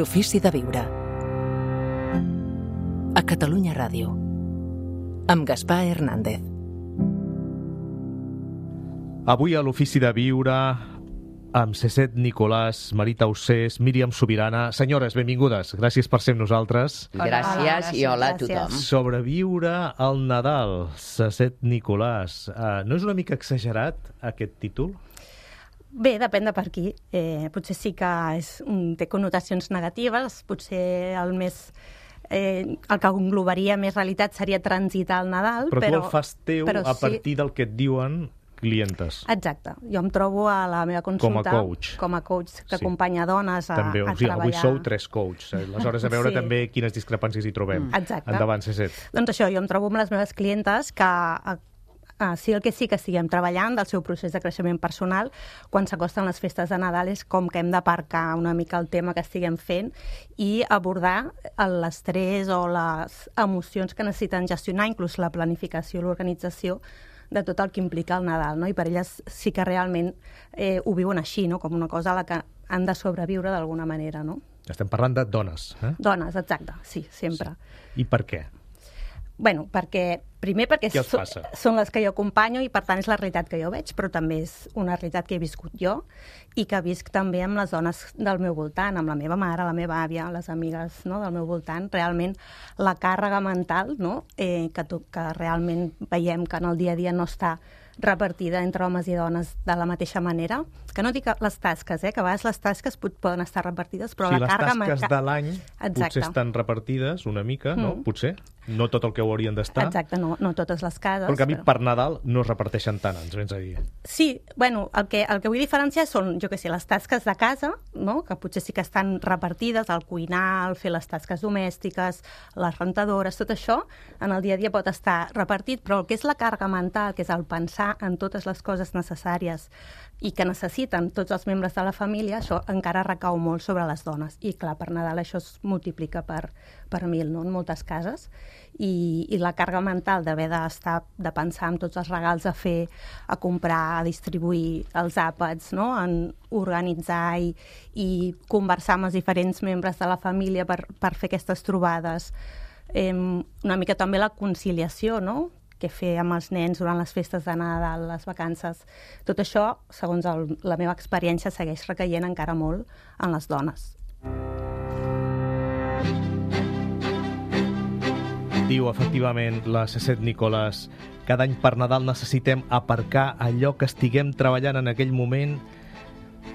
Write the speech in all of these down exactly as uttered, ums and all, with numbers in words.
L'ofici de viure. A Catalunya Ràdio. Amb Gaspar Hernández. Avui a l'ofici de viure amb Cécet Nicolàs, Marita Ossés, Míriam Subirana. Senyores, benvingudes. Gràcies per ser amb nosaltres. Gràcies i hola a tothom. Sobreviure al Nadal, Cécet Nicolàs. Uh, no és una mica exagerat aquest títol? Bé, depèn de per qui. Eh, potser sí que és, un, té connotacions negatives, potser el més... Eh, el que englobaria més realitat seria transitar el Nadal, però... però tu el fas teu a partir sí. del que et diuen clientes. Exacte. Jo em trobo a la meva consulta... Com a coach. Com a coach que sí. acompanya dones a, també, a o sigui, treballar. Avui sou tres coaches. Aleshores, a veure sí. també quines discrepàncies hi trobem. Mm. Exacte. Endavant, Cécet. Doncs això, jo em trobo amb les meves clientes que... Ah, sí, el que sí que estiguem treballant del seu procés de creixement personal quan s'acosten les festes de Nadal és com que hem d'aparcar una mica el tema que estiguem fent i abordar l'estrès o les emocions que necessiten gestionar, inclús la planificació, l'organització de tot el que implica el Nadal, no? I per elles sí que realment eh, ho viuen així, no? Com una cosa a la que han de sobreviure d'alguna manera, no? Estem parlant de dones, eh? Dones, exacte, sí, sempre. Sí. I per què? Bueno, perquè, primer perquè so, són les que jo acompanyo i per tant és la realitat que jo veig, però també és una realitat que he viscut jo i que visc també amb les dones del meu voltant, amb la meva mare, la meva àvia, les amigues, no, del meu voltant. Realment la càrrega mental, no, eh, que, tu, que realment veiem que en el dia a dia no està repartida entre homes i dones de la mateixa manera, que no dic les tasques, eh, que a vegades les tasques poden estar repartides, però sí, la càrrega... Sí, les tasques de l'any potser estan repartides una mica, no? Mm. Potser. No tot el que ho haurien d'estar. Exacte, no, no totes les cases. Però en canvi, per Nadal no es reparteixen tant, ens vens a dir. Sí, bueno, el que, el que vull diferenciar són, jo què sé, les tasques de casa, no? Que potser sí que estan repartides, el cuinar, el fer les tasques domèstiques, les rentadores, tot això, en el dia a dia pot estar repartit, però el que és la càrrega mental, que és el pensar en totes les coses necessàries i que necessiten tots els membres de la família, això encara recau molt sobre les dones. I clar, per Nadal això es multiplica per, per mil, no?, en moltes cases. I, i la càrrega mental d'haver d'estar, de pensar en tots els regals a fer, a comprar, a distribuir els àpats, no?, en organitzar i, i conversar amb els diferents membres de la família per, per fer aquestes trobades. Eh, una mica també la conciliació, no?, què fer amb els nens durant les festes de Nadal, les vacances. Tot això, segons el, la meva experiència, segueix recaient encara molt en les dones. Diu, efectivament, la Cécet Nicolàs, cada any per Nadal necessitem aparcar allò que estiguem treballant en aquell moment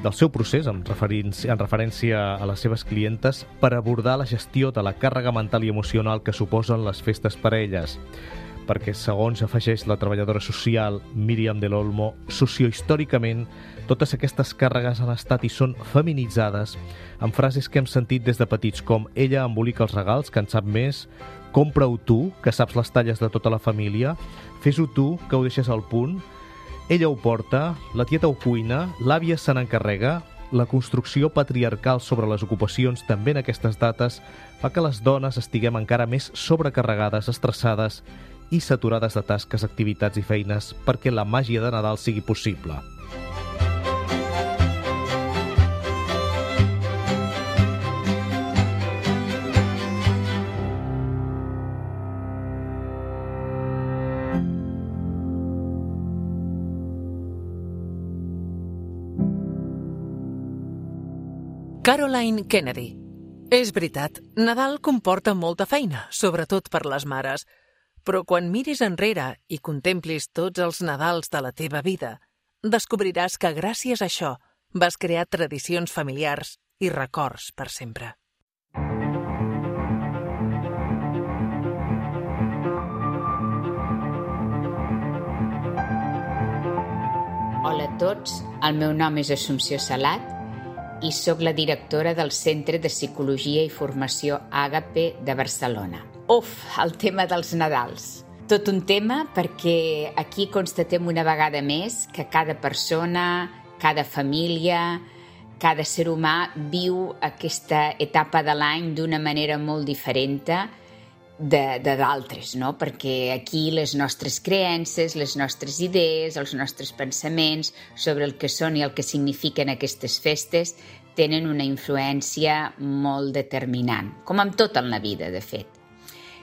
del seu procés, en referència, en referència a les seves clientes, per abordar la gestió de la càrrega mental i emocional que suposen les festes per a elles. Perquè, segons afegeix la treballadora social Míriam del Olmo, sociohistòricament, totes aquestes càrregues han estat i són feminitzades amb frases que hem sentit des de petits, com ella embolica els regals, que en sap més, compra-ho tu, que saps les talles de tota la família, fes-ho tu, que ho deixes al punt, ella ho porta, la tieta ho cuina, l'àvia se n'encarrega. La construcció patriarcal sobre les ocupacions també en aquestes dates fa que les dones estiguem encara més sobrecarregades, estressades i saturades de tasques, activitats i feines perquè la màgia de Nadal sigui possible. Caroline Kennedy. És veritat, Nadal comporta molta feina, sobretot per les mares. Però quan miris enrere i contemplis tots els Nadals de la teva vida, descobriràs que gràcies a això vas crear tradicions familiars i records per sempre. Hola a tots, el meu nom és Assumpció Salat i sóc la directora del Centre de Psicologia i Formació Àgape de Barcelona. Uf, el tema dels Nadals. Tot un tema perquè aquí constatem una vegada més que cada persona, cada família, cada ser humà viu aquesta etapa de l'any d'una manera molt diferent de, de d'altres, no? Perquè aquí les nostres creences, les nostres idees, els nostres pensaments sobre el que són i el que signifiquen aquestes festes tenen una influència molt determinant, com amb tot en la vida, de fet.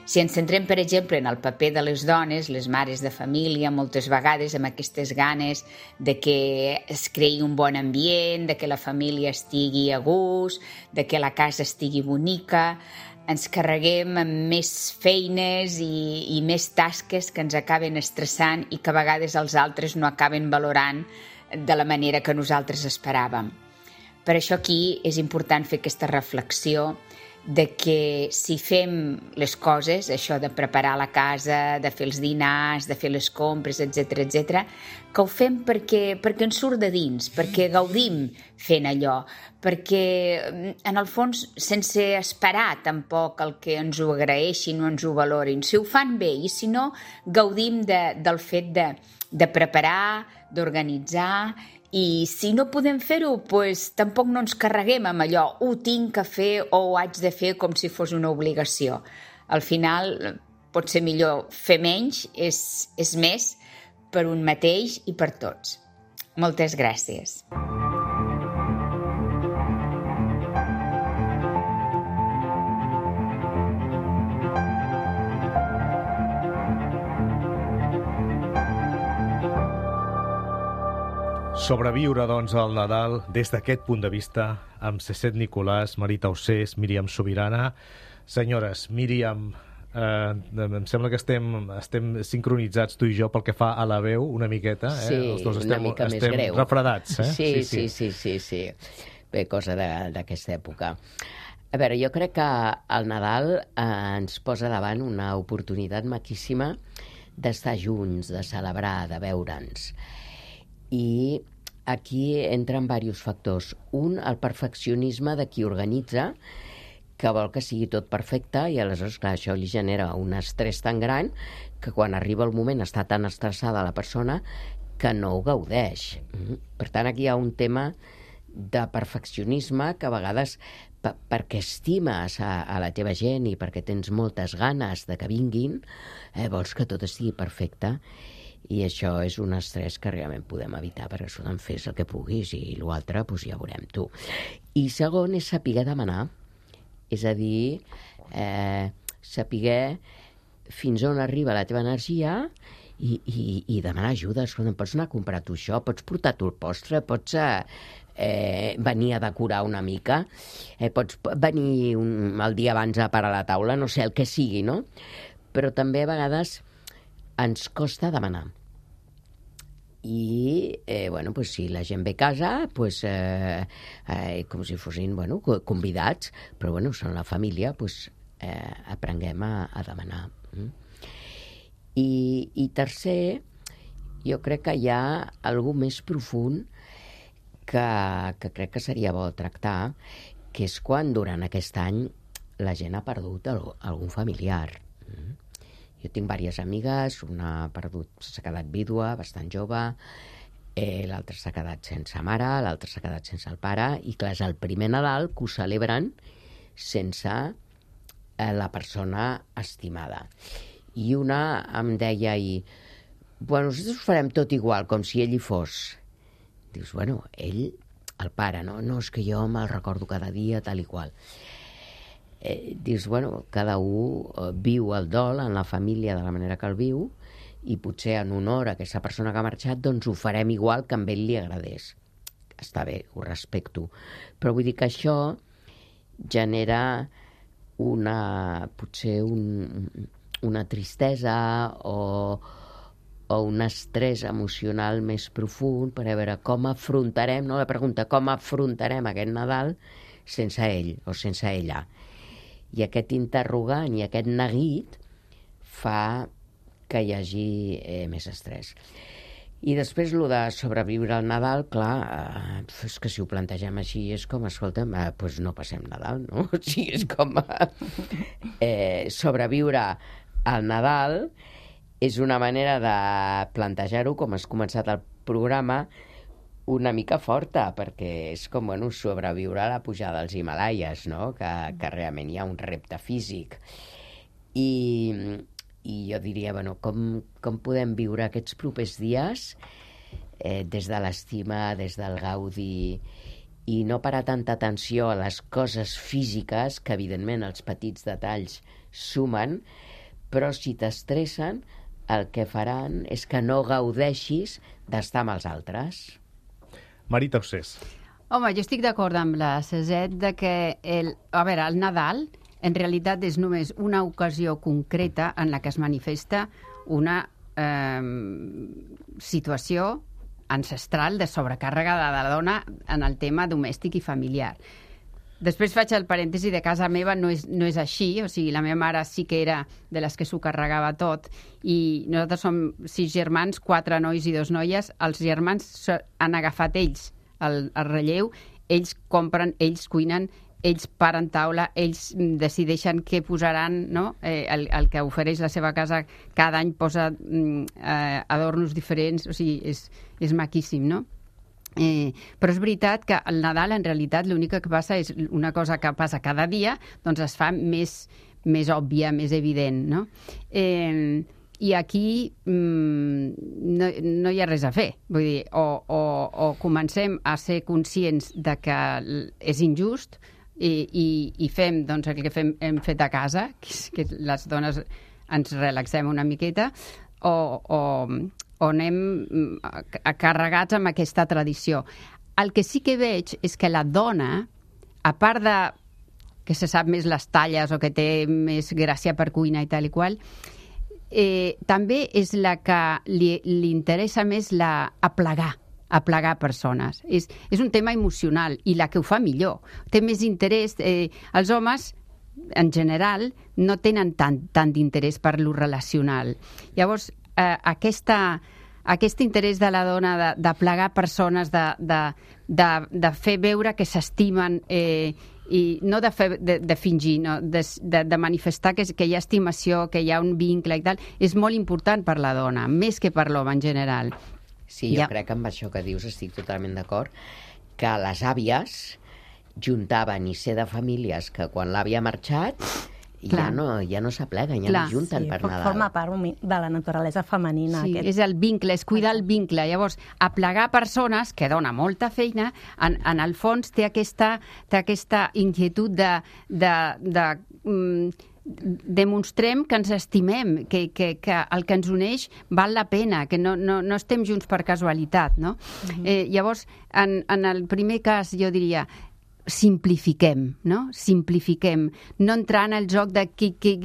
Si ens centrem, per exemple, en el paper de les dones, les mares de família, moltes vegades amb aquestes ganes de que es creï un bon ambient, de que la família estigui a gust, de que la casa estigui bonica, ens carreguem amb més feines i, i més tasques que ens acaben estressant i que a vegades els altres no acaben valorant de la manera que nosaltres esperàvem. Per això aquí és important fer aquesta reflexió de que si fem les coses, això de preparar la casa, de fer els dinars, de fer les compres, etcètera, etcètera, que ho fem perquè, perquè ens surt de dins, perquè gaudim fent allò, perquè en el fons sense esperar tampoc el que ens ho agraeixin o ens ho valorin. Si ho fan bé i si no, gaudim de, del fet de, de preparar, d'organitzar. I si no podem fer-ho, doncs tampoc no ens carreguem amb allò, ho tinc que fer o ho haig de fer com si fos una obligació. Al final, pot ser millor fer menys, és, és més per un mateix i per tots. Moltes gràcies. Sobreviure, doncs, al Nadal des d'aquest punt de vista amb Cécet Nicolàs, Marita Ossés, Míriam Subirana. Senyores, Míriam, eh, em sembla que estem, estem sincronitzats tu i jo pel que fa a la veu una miqueta. Eh? Sí, Els dos una estem, mica més estem greu. refredats. Eh? Sí, sí, sí, sí, sí. Bé, cosa d'aquesta època. A veure, jo crec que el Nadal eh, ens posa davant una oportunitat maquíssima d'estar junts, de celebrar, de veure'ns. I aquí entren diversos factors. Un, el perfeccionisme de qui organitza, que vol que sigui tot perfecte, i aleshores, clar, això li genera un estrès tan gran que quan arriba el moment està tan estressada la persona que no ho gaudeix. Per tant, aquí hi ha un tema de perfeccionisme que a vegades, per, perquè estimes a, a la teva gent i perquè tens moltes ganes de que vinguin, eh, vols que tot estigui perfecte. I això és un estrès que realment podem evitar, perquè escolta'm, fes el que puguis i l'altre doncs ja veurem tu. I segon és saber demanar, és a dir, eh, saber fins on arriba la teva energia i, i, i demanar ajuda. Escolta'm, pots anar a comprar tu això, pots portar tu el postre, pots eh, eh, venir a decorar una mica, eh, pots venir un, el dia abans a parar la taula, no sé, el que sigui, no? Però també a vegades ens costa demanar. I, eh, bueno, pues, si la gent ve a casa, pues, eh, eh, com si fossin, bueno, convidats, però, bueno, són la família, pues, eh, aprenguem a, a demanar. Mm? I, I tercer, jo crec que hi ha algú més profund que, que crec que seria bo tractar, que és quan durant aquest any la gent ha perdut el, algun familiar. Mm? Jo tinc diverses amigues, una ha perdut, s'ha quedat vídua, bastant jove, eh, l'altra s'ha quedat sense mare, l'altra s'ha quedat sense el pare, i clar, és el primer Nadal que ho celebren sense eh, la persona estimada. I una em deia ahir, bueno, nosaltres ho farem tot igual, com si ell hi fos. Dius, bueno, ell, el pare, no? No, és que jo me'l recordo cada dia, tal i qual. Eh, dius, bueno, cada un eh, viu el dol en la família de la manera que el viu i potser en honor a aquesta persona que ha marxat doncs ho farem igual que a ell li agradés. Està bé, ho respecto. Però vull dir que això genera una, potser un, una tristesa o, o un estrès emocional més profund per a veure com afrontarem, no? La pregunta, com afrontarem aquest Nadal sense ell o sense ella. I aquest interrogant i aquest neguit fa que hi hagi eh, més estrès. I després, el de sobreviure al Nadal, clar, eh, és que si ho plantegem així és com, escolta'm, eh, doncs no passem Nadal, no? O sigui, és com eh, sobreviure al Nadal és una manera de plantejar-ho, com has començat el programa, una mica forta, perquè és com, bueno, sobreviure a la pujada dels Himalaies, no? Que, que realment hi ha un repte físic. I, i jo diria, bueno, com, com podem viure aquests propers dies eh, des de l'estima, des del gaudi i no parar tanta atenció a les coses físiques, que evidentment els petits detalls sumen, però si t'estressen, el que faran és que no gaudeixis d'estar amb els altres. Marita Ossés. Home, jo estic d'acord amb la Ceset de que el, a veure, el Nadal en realitat és només una ocasió concreta en la que es manifesta una eh, situació ancestral de sobrecàrrega de la dona en el tema domèstic i familiar. Després faig el parèntesi de casa meva, no és, no és així, o sigui, la meva mare sí que era de les que s'ho carregava tot, i nosaltres som sis germans, quatre nois i dos noies, els germans han agafat ells el, el relleu, ells compren, ells cuinen, ells paren taula, ells decideixen què posaran, no? Eh, el, el que ofereix la seva casa cada any posa mm, eh, adornos diferents, o sigui, és, és maquíssim, no? Eh, però és veritat que el Nadal en realitat l'únic que passa és una cosa que passa cada dia, doncs es fa més, més òbvia, més evident, no? Eh, I aquí mm, no, no hi ha res a fer. Vull dir, o, o, o comencem a ser conscients de que és injust, I, i, i fem doncs, el que fem, hem fet a casa, que, és, que les dones ens relaxem una miqueta, o, o, o anem carregats amb aquesta tradició. El que sí que veig és que la dona, a part de que se sap més les talles o que té més gràcia per cuina i tal i qual, eh, també és la que li, li interessa més la aplegar. aplegar persones. És, és un tema emocional i la que ho fa millor. Té més interès. Eh, els homes, en general, no tenen tant, tant d'interès per lo relacional. Llavors, eh, aquesta, aquest interès de la dona de, de plegar persones, de, de, de, de fer veure que s'estimen, eh, i no de, fer, de, de fingir, no? de, de, de manifestar que, que hi ha estimació, que hi ha un vincle i tal, és molt important per la dona, més que per l'home en general. Sí, jo ja. crec que amb això que dius estic totalment d'acord, que les àvies juntaven i ser de famílies que quan l'àvia ha marxat ja no, ja no s'apleguen, ja Clar. no junten sí, per Nadal. Forma part de la naturalesa femenina. Sí, aquest. és el vincle, és cuidar el vincle. Llavors, aplegar persones, que dona molta feina, en, en el fons té aquesta, té aquesta inquietud de... de, de mm, demostrem que ens estimem, que, que, que el que ens uneix val la pena, que no, no, no estem junts per casualitat, no? Uh-huh. eh, llavors, en, en el primer cas, jo diria, simplifiquem, no? Simplifiquem. No entrar en el joc de qui, qui,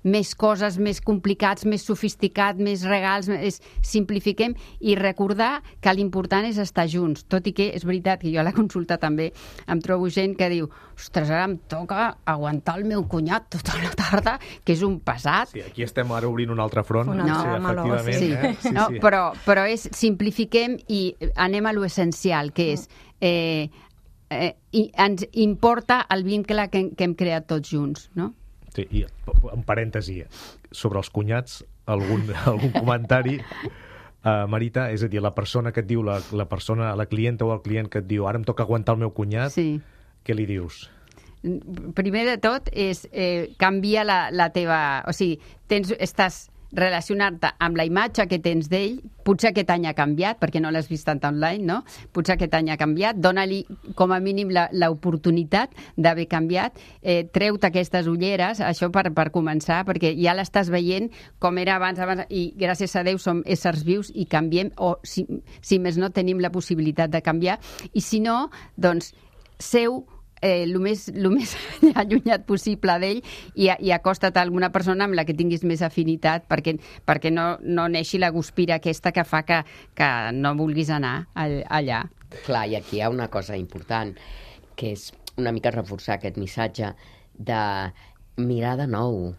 més coses, més complicats, més sofisticat, més regals, és, simplifiquem i recordar que l'important és estar junts. Tot i que és veritat que jo a la consulta també em trobo gent que diu ostres, ara em toca aguantar el meu cunyat tota la tarda, que és un pesat. Sí, aquí estem ara obrint un altre front. Un no, altre sí, meló, efectivament. Sí. Eh? Sí, no, sí. Però, però és simplifiquem i anem a lo essencial, que és eh, Eh, i ens importa el vincle que, que hem creat tots junts, no? Sí, i en parèntesi, sobre els cunyats, algun, algun comentari, uh, Marita, és a dir, la persona que et diu, la, la persona, la clienta o el client que et diu ara em toca aguantar el meu cunyat, sí. Què li dius? Primer de tot és eh, canvia la, la teva... O sigui, tens, estàs relacionar-te amb la imatge que tens d'ell, potser aquest any ha canviat, perquè no l'has vist tant online, no? Potser aquest any ha canviat, dona-li com a mínim l'oportunitat d'haver canviat, eh, treu-te aquestes ulleres, això per, per començar, perquè ja l'estàs veient com era abans, abans, i gràcies a Déu som éssers vius i canviem, o si, si més no tenim la possibilitat de canviar, i si no, doncs, seu eh, el més, el més allunyat possible d'ell i, i acosta't a alguna persona amb la que tinguis més afinitat perquè, perquè no, no neixi la guspira aquesta que fa que, que no vulguis anar allà. Clar, i aquí hi ha una cosa important, que és una mica reforçar aquest missatge de mirar de nou,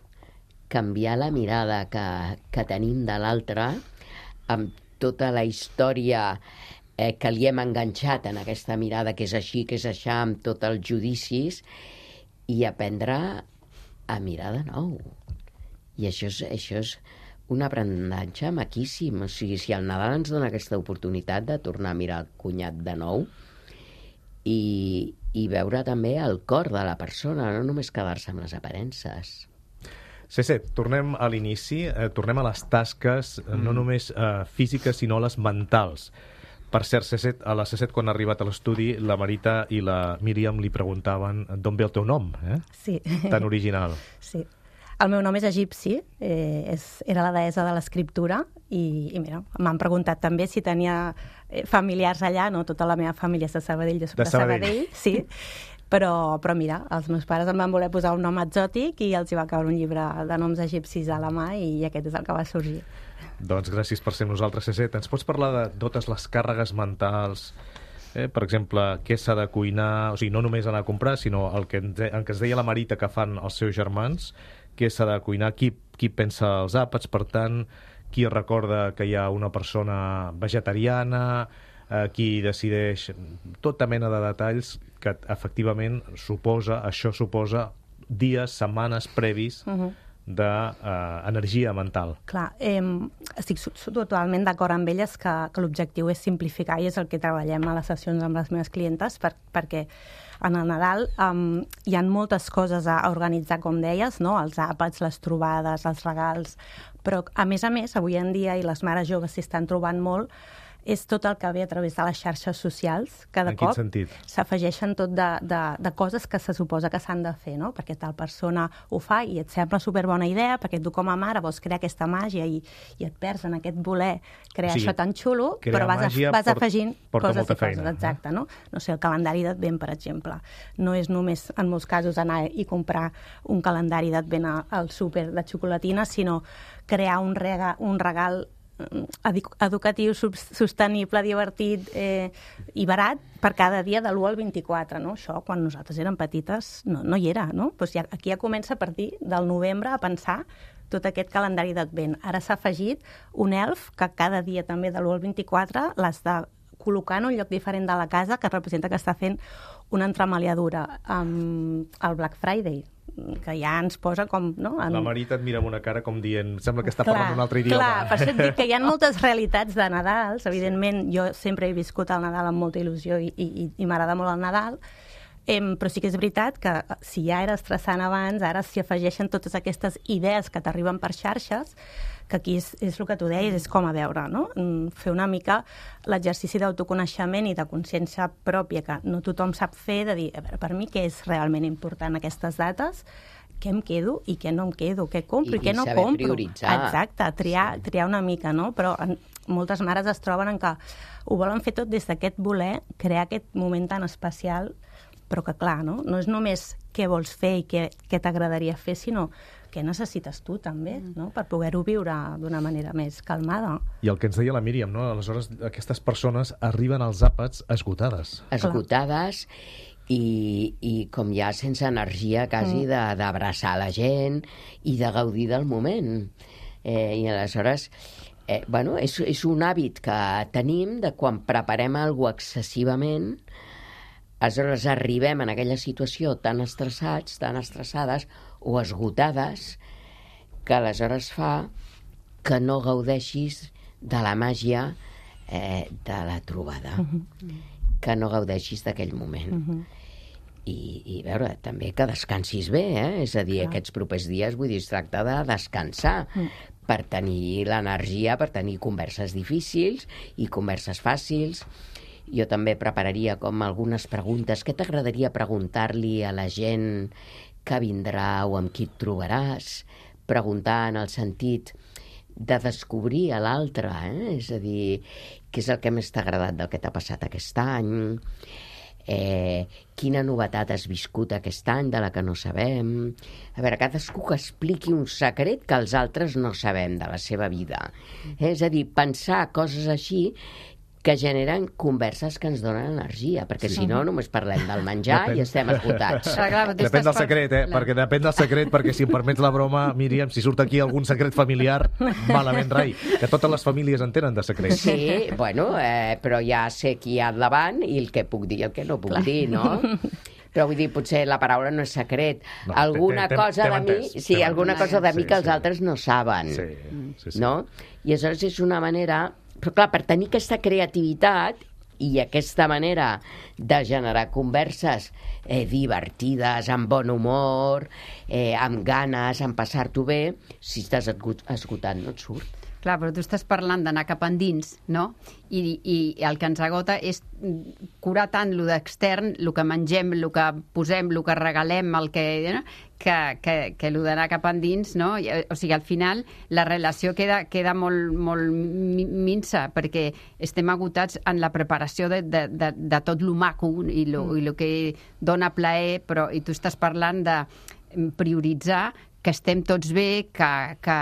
canviar la mirada que, que tenim de l'altre amb tota la història Eh, que li hem enganxat en aquesta mirada que és així, que és així, amb tots els judicis, i aprendre a mirar de nou. I això és, això és un aprenentatge maquíssim. O sigui, si el Nadal ens dona aquesta oportunitat de tornar a mirar el cunyat de nou i, i veure també el cor de la persona, no només quedar-se amb les aparences. Cece, tornem a l'inici, eh, tornem a les tasques, mm. no només eh, físiques, sinó les mentals. Per cert, C set, a la C set, quan ha arribat a l'estudi, la Marita i la Míriam li preguntaven d'on ve el teu nom, eh? Sí. Tan original. Sí. El meu nom és egipci, eh, és, era la deessa de l'escriptura, i, i mira, m'han preguntat també si tenia eh, familiars allà, no? Tota la meva família és de Sabadell, jo soc de, de Sabadell, Sabadell sí, però, però mira, els meus pares em van voler posar un nom exòtic i els hi va caure un llibre de noms egipcis a la mà i aquest és el que va sorgir. Doncs gràcies per ser amb nosaltres, C set. Ens pots parlar de totes les càrregues mentals, eh? Per exemple, què s'ha de cuinar, o sigui, no només anar a comprar, sinó el que, ens, el que ens deia la Marita que fan els seus germans, què s'ha de cuinar, qui, qui pensa els àpats, per tant, qui recorda que hi ha una persona vegetariana, eh, qui decideix tota mena de detalls que efectivament suposa, això suposa dies, setmanes previs uh-huh. d'energia uh, mental. Clar, eh, estic totalment d'acord amb elles que, que l'objectiu és simplificar i és el que treballem a les sessions amb les meves clientes per, perquè en el Nadal um, hi ha moltes coses a organitzar, com deies, no? Els àpats, les trobades, els regals, però a més a més, avui en dia, i les mares joves s'hi estan trobant molt, és tot el que ve a través de les xarxes socials. Cada cop s'afegeixen tot de, de, de coses que se suposa que s'han de fer, no? Perquè tal persona ho fa i et sembla superbona idea, perquè tu com a mare vols crear aquesta màgia i, i et perds en aquest voler crear o sigui, això tan xulo, però vas, a, vas port, afegint coses i coses. Feina, exacte, no? No sé, el calendari d'Advent, per exemple. No és només, en molts casos, anar i comprar un calendari d'Advent al súper de xocolatina, sinó crear un, rega, un regal educatiu, sostenible, divertit eh, i barat per cada dia de l'u al vint-i-quatre, no? Això, quan nosaltres érem petites, no, no hi era, no? Pues ja, aquí ja comença a partir del novembre a pensar tot aquest calendari d'Advent. Ara s'ha afegit un elf que cada dia també de l'u al vint-i-quatre l'has de col·locar en un lloc diferent de la casa que representa que està fent una entremaliadura amb el Black Friday, que ja ens posa com... No? En... La Marita et mira amb una cara com dient sembla que està clar, parlant un altre idioma. Clar, per això et dic que hi ha moltes realitats de Nadals. Evidentment, jo sempre he viscut el Nadal amb molta il·lusió i, i, i m'agrada molt el Nadal, eh, però sí que és veritat que si ja era estressant abans, ara s'hi afegeixen totes aquestes idees que t'arriben per xarxes, que aquí és, és el que tu deies, és com a veure, no? Fer una mica l'exercici d'autoconeixement i de consciència pròpia, que no tothom sap fer, de dir, a veure, per mi què és realment important aquestes dates, què em quedo i què no em quedo, què compro i, i què no compro. I prioritzar. Exacte, triar, sí. triar una mica, no? Però en, moltes mares es troben en que ho volen fer tot des d'aquest voler, crear aquest moment tan especial, però que clar, no? No és només què vols fer i què, què t'agradaria fer, sinó què necessites tu també, no? Per poder-ho viure d'una manera més calmada. I el que ens deia la Míriam, no? Aleshores, aquestes persones arriben als àpats esgotades. Esgotades i, i com ja sense energia quasi mm. d'abraçar la gent i de gaudir del moment. Eh, I aleshores, eh, bueno, és, és un hàbit que tenim de quan preparem alguna cosa excessivament, aleshores arribem en aquella situació tan estressats, tan estressades o esgotades, que aleshores fa que no gaudeixis de la màgia eh, de la trobada, uh-huh. que no gaudeixis d'aquell moment. Uh-huh. I, i veure, també que descansis bé, eh? És a dir, clar. Aquests propers dies, vull dir, es tracta de descansar, uh-huh. per tenir l'energia, per tenir converses difícils i converses fàcils. Jo també prepararia com algunes preguntes. Què t'agradaria preguntar-li a la gent que vindrà o amb qui et trobaràs? Preguntar en el sentit de descobrir a l'altre, eh? És a dir, què és el que més t'ha agradat del que t'ha passat aquest any? Eh, quina novetat has viscut aquest any de la que no sabem? A veure, cadascú que expliqui un secret que els altres no sabem de la seva vida. Eh? És a dir, pensar coses així que generen converses que ens donen energia, perquè sí. si no només parlem del menjar depèn. I estem esgotats. Clar, depèn del secret, eh? Perquè depèn del secret, perquè si em permets la broma, Míriam, si surt aquí algun secret familiar, malament rai, que totes les famílies en tenen de secrets. Sí, bueno, eh, però ja sé qui hi ha al davant i el que puc dir i el que no puc clar. dir, no? Però vull dir, potser la paraula no és secret. No, alguna cosa de mi, sí, alguna cosa de mi que els altres no saben, sí, sí, sí. no? I aleshores és una manera... Però clar, per tenir aquesta creativitat i aquesta manera de generar converses eh, divertides, amb bon humor, eh, amb ganes, amb passar-t'ho bé, si estàs esgotat no et surt. Clar, però tu estàs parlant d'anar cap endins, no? I, i el que ens agota és curar tant lo d'extern, el que mengem, el que posem, el que regalem, el que, no? que, que, que el d'anar cap endins, no? O sigui, al final la relació queda, queda molt, molt minsa, perquè estem agotats en la preparació de, de, de, de tot lo maco i lo, mm. i lo que dona plaer, però i tu estàs parlant de prioritzar que estem tots bé, que, que,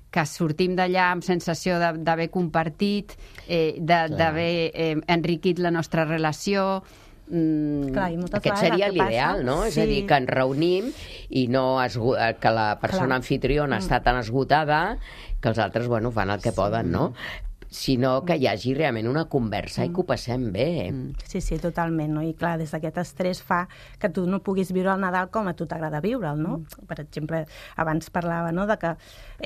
que sortim d'allà amb sensació d'haver compartit, eh, d'haver eh, enriquit la nostra relació. Mm, Clar, aquest seria l'ideal, no? Sí. És a dir, que ens reunim i no esgo... que la persona Clar. anfitriona mm. està tan esgotada que els altres, bueno, fan el que sí. poden, no? Sinó que hi hagi realment una conversa mm. i que ho passem bé. Sí, sí, totalment, no? I clar, des d'aquest estrès fa que tu no puguis viure el Nadal com a tu t'agrada viure'l, no? Mm. Per exemple, abans parlava, no?, de que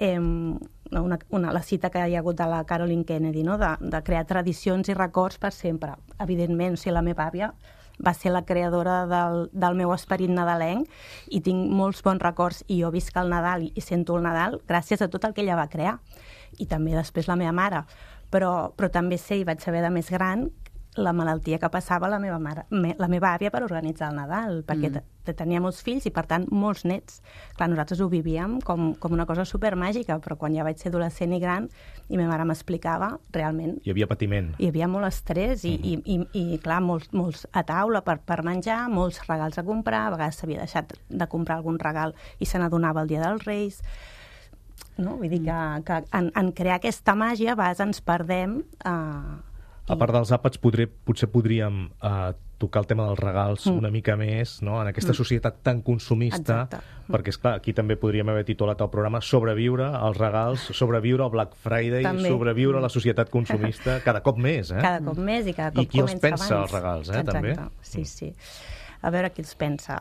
eh, una, una, la cita que hi ha hagut de la Caroline Kennedy, no?, de, de crear tradicions i records per sempre. Evidentment, o sigui, la meva àvia va ser la creadora del, del meu esperit nadalenc i tinc molts bons records i jo visc el Nadal i, i sento el Nadal gràcies a tot el que ella va crear. I també després la meva mare. Però, però també sé, i vaig saber de més gran, la malaltia que passava la meva mare, me, la meva àvia per organitzar el Nadal, perquè mm. tenia molts fills i, per tant, molts nets. Clar, nosaltres ho vivíem com, com una cosa supermàgica, però quan ja vaig ser adolescent i gran i meva mare m'explicava, realment... Hi havia patiment. Hi havia molt estrès i, mm. i, i, i clar, molts, molts a taula per, per menjar, molts regals a comprar, a vegades s'havia deixat de comprar algun regal i se n'adonava el dia dels Reis... No? Vull dir que, que en, en crear aquesta màgia a vegades ens perdem. Eh, a part dels àpats, podré, potser podríem eh, tocar el tema dels regals mm. una mica més, no?, en aquesta societat tan consumista, Exacte. perquè, esclar, aquí també podríem haver titulat el programa Sobreviure als regals, sobreviure al Black Friday, també. sobreviure a la societat consumista cada cop més. Eh? Cada cop més i cada cop I qui comença els pensa, abans. els regals, eh, Exacte. també? Sí, sí. A veure qui els pensa.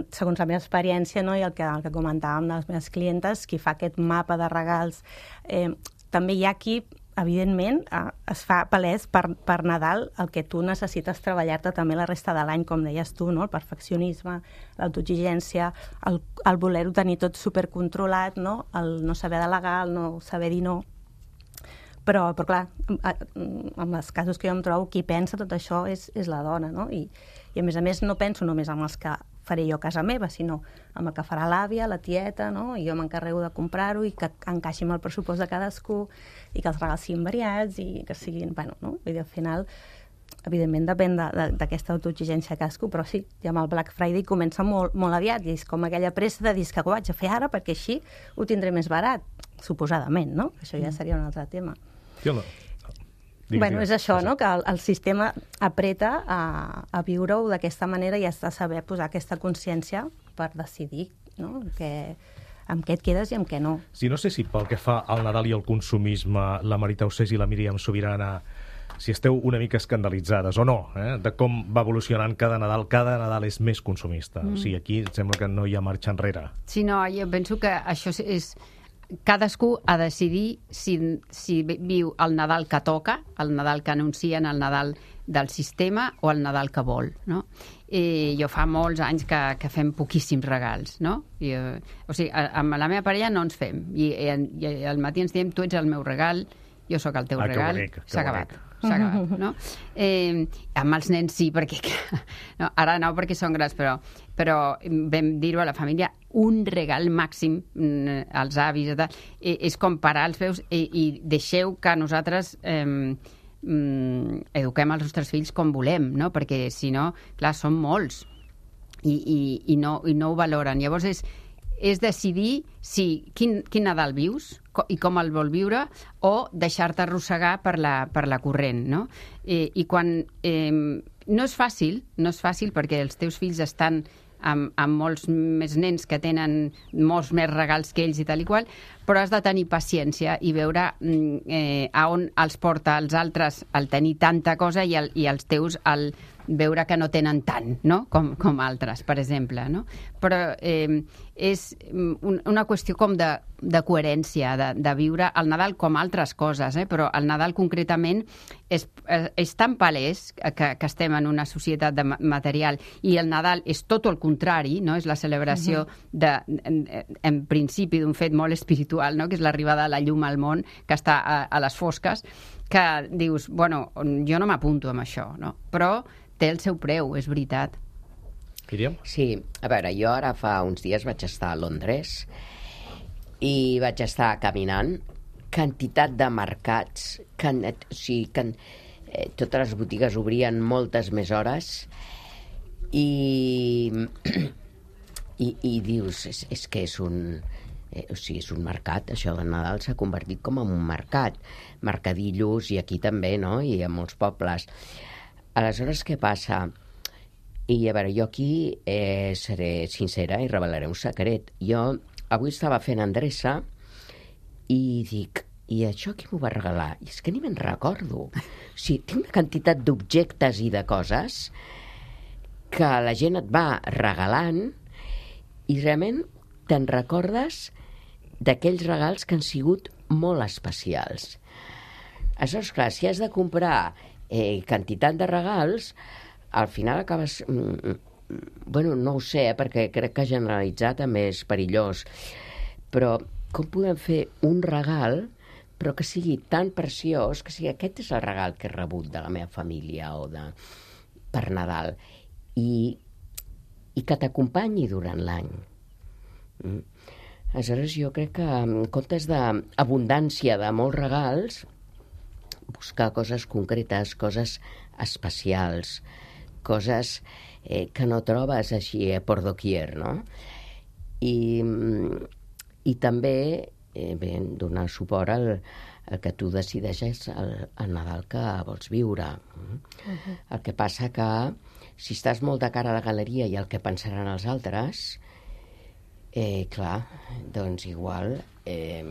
Segons la meva experiència, no, i el que, el que comentàvem de les meves clientes, qui fa aquest mapa de regals, eh, també hi ha qui, evidentment, eh, es fa palès per, per Nadal el que tu necessites treballar-te també la resta de l'any, com deies tu, no? El perfeccionisme, l'autoexigència, el, el voler-ho tenir tot supercontrolat, no? El no saber delegar, el no saber dir no. Però, però clar, en els casos que jo em trobo, qui pensa tot això és, és la dona, no? I, i a més a més no penso només en els que faré jo a casa meva, sinó amb el que farà l'àvia, la tieta, no? I jo m'encarrego de comprar-ho i que encaixi amb el pressupost de cadascú i que els regals siguin variats i que siguin, bueno, no? Vull dir, al final, evidentment depèn d'aquesta autoexigència de cadascú, però sí, ja amb el Black Friday comença molt, molt aviat i és com aquella pressa de dir que ho vaig a fer ara perquè així ho tindré més barat, suposadament, no? Això ja seria un altre tema. Sí, no. Digues, bueno, és això, no?, que el, el sistema apreta a, a viure-ho d'aquesta manera i has de saber posar aquesta consciència per decidir, no?, que, amb què et quedes i amb què no. Sí, no sé si pel que fa al Nadal i al consumisme, la Marita Ossés i la Míriam Sobirana, si esteu una mica escandalitzades o no, eh, de com va evolucionant cada Nadal. Cada Nadal és més consumista. Mm. O sigui, aquí sembla que no hi ha marxa enrere. Sí, no, jo penso que això és... Cadascú ha de decidir si, si viu el Nadal que toca, el Nadal que anuncien, el Nadal del sistema o el Nadal que vol, no? I jo fa molts anys que, que fem poquíssims regals, no? I, o sigui, amb la meva parella no ens fem. I, i, i al matí ens diem, tu ets el meu regal, jo sóc el teu ah, regal, s'ha acabat. S'ha acabat, no? Eh, amb els nens sí, perquè... No, ara no, perquè són grans, però, però vam dir-ho a la família, un regal màxim als avis, eh, és comparar els veus i, i deixeu que nosaltres eh, eduquem els nostres fills com volem, no? Perquè, si no, clar, són molts i, i, i, no, i no ho valoren. Llavors és... és decidir si, quin, quin Nadal vius i com el vol viure o deixar-te arrossegar per la, per la corrent, no? I, i quan... Eh, no és fàcil, no és fàcil perquè els teus fills estan amb, amb molts més nens que tenen molts més regals que ells i tal i qual, però has de tenir paciència i veure eh, a on els porta els altres el tenir tanta cosa i, el, i els teus el veure que no tenen tant, no? com, com altres, per exemple. No? Però eh, és un, una qüestió com de, de coherència, de, de viure el Nadal com altres coses, eh? Però el Nadal concretament és, és tan palès que, que estem en una societat de material i el Nadal és tot el contrari, no? És la celebració uh-huh. de, en, en principi d'un fet molt espiritual, no? Que és l'arribada de la llum al món, que està a, a les fosques, que dius, bueno, jo no m'apunto amb això, no? Però té el seu preu, és veritat. Míriam? Sí, a veure, jo ara fa uns dies vaig estar a Londres i vaig estar caminant, quantitat de mercats, can, o sigui, can, eh, totes les botigues obrien moltes més hores i, i, i dius, és, és que és un... Eh, o sigui, és un mercat, això de Nadal s'ha convertit com en un mercat, mercadillos, i aquí també, no?, i a molts pobles. Aleshores, què passa? I a veure, jo aquí eh, seré sincera i revelaré un secret. Jo avui estava fent endreça i dic, i això qui m'ho va regalar? I és que ni me'n recordo. O sigui, tinc una quantitat d'objectes i de coses que la gent et va regalant i realment te'n recordes d'aquells regals que han sigut molt especials. Aleshores, clar, si has de comprar eh, quantitat de regals, al final acabes... Mm, bueno, no ho sé, eh, perquè crec que generalitzar també és perillós, però com podem fer un regal però que sigui tan preciós, que sigui aquest és el regal que he rebut de la meva família o de per Nadal, i, i que t'acompanyi durant l'any. Mm. Aleshores, jo crec que en comptes d'abundància de molts regals, buscar coses concretes, coses especials, coses eh, que no trobes així eh, por doquier, no? I, i també eh, bé, donar suport al, al que tu decideixes el, el Nadal que vols viure. Uh-huh. El que passa que si estàs molt de cara a la galeria i el que pensaran els altres, Eh, clar, doncs igual eh,